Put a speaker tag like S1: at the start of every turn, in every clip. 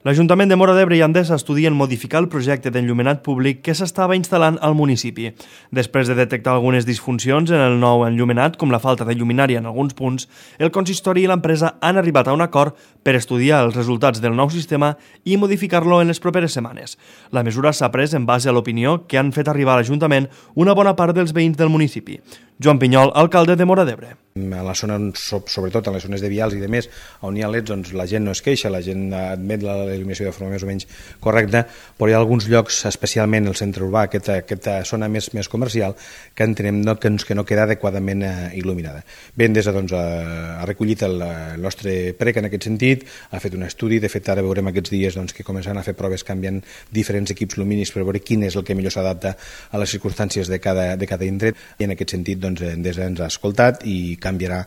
S1: L'Ajuntament de Móra d'Ebre i Endesa estudien modificar el projecte d'enllumenat públic que s'estava instal·lant al municipi. Després de detectar algunes disfuncions en el nou enllumenat, com la falta de lluminària en alguns punts, el consistori i l'empresa han arribat a un acord per estudiar els resultats del nou sistema i modificar-lo en les properes setmanes. La mesura s'ha pres en base a l'opinió que han fet arribar a l'Ajuntament una bona part dels veïns del municipi. Joan Pinyol, alcalde de Móra d'Ebre.
S2: A la zona, sobretot en les zones de vials i de més, on hi ha leds, doncs la gent no es queixa, la gent admet l'il·luminació de forma més o menys correcta, però hi ha alguns llocs, especialment el centre urbà, aquesta zona més comercial, que entenem que no queda adequadament il·luminada. Bé, Endesa ha recollit el nostre prec en aquest sentit, ha fet un estudi, de fet ara veurem aquests dies que començaran a fer proves canviant diferents equips lumínics per veure quin és el que millor s'adapta a les circumstàncies de cada indret, i en aquest sentit Endesa ens ha escoltat i canviarà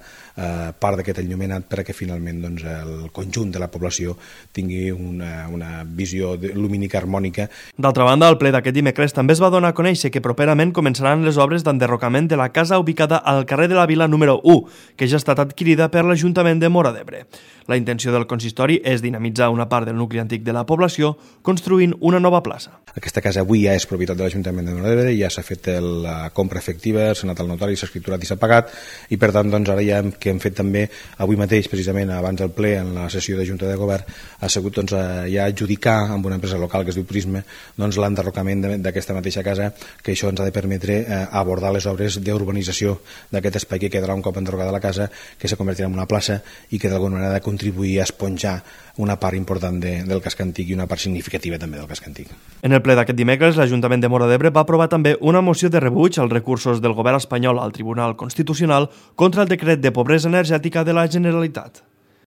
S2: part d'aquest enllumenat perquè finalment el conjunt de la població tingui una visió lumínica harmònica.
S1: D'altra banda, al ple d'aquest dimecres també es va donar a conèixer que properament començaran les obres d'enderrocament de la casa ubicada al carrer de la Vila número 1, que ja ha estat adquirida per l'Ajuntament de Móra d'Ebre. La intenció del consistori és dinamitzar una part del nucli antic de la població construint una nova plaça.
S2: Aquesta casa avui ja és propietat de l'Ajuntament de Móra d'Ebre, ja s'ha fet la compra efectiva, s'ha anat al notari, s'ha escriturat i s'ha pagat, i per tant ara ja que hem fet també avui mateix, precisament abans del ple, en la sessió de Junta de Govern, ha sigut ja adjudicar amb una empresa local que es diu Prisma l'enderrocament d'aquesta mateixa casa, que això ens ha de permetre abordar les obres d'urbanització d'aquest espai que quedarà un cop enderrocada la casa, que se convertirà en una plaça i que d'alguna manera ha de contribuir a esponjar una part important del casc antic i una part significativa també del casc antic.
S1: En el ple d'aquest dimecres, l'Ajuntament de Móra d'Ebre va aprovar també una moció de rebuig als recursos del govern espanyol al Tribunal Constitucional contra el decret de pobresa energètica de la Generalitat.